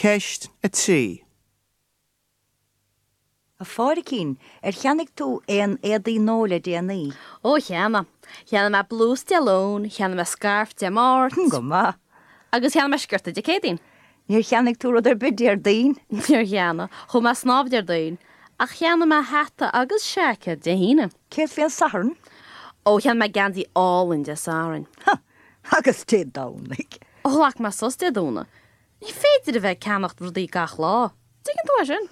Ceist 3. A Phádraicín, ar cheannaigh tú aon éadaí nua le déanaí? Ó, cheannaigh. Cheannaigh mé blús Dé Luain, cheannaigh mé scairf Dé Máirt. Go maith. Agus cheannaigh mé sciorta Dé Céadaoin. Níor cheannaigh tú rud ar bith Déardaoin? Níor cheannaigh. Chuaigh mé ag snámh Déardaoin. Ach cheannaigh mé hata agus seaicéad Dé hAoine. Céard faoin Satharn? Ó, cheannaigh mé geansaí álainn Dé Sathairn. Ha! Agus Dé Domhnaigh? Ghlac mé sos Dé Domhnaigh. Ní féidir a bheith ag ceannacht rudaí gach lá. Tuigeann tú é sin?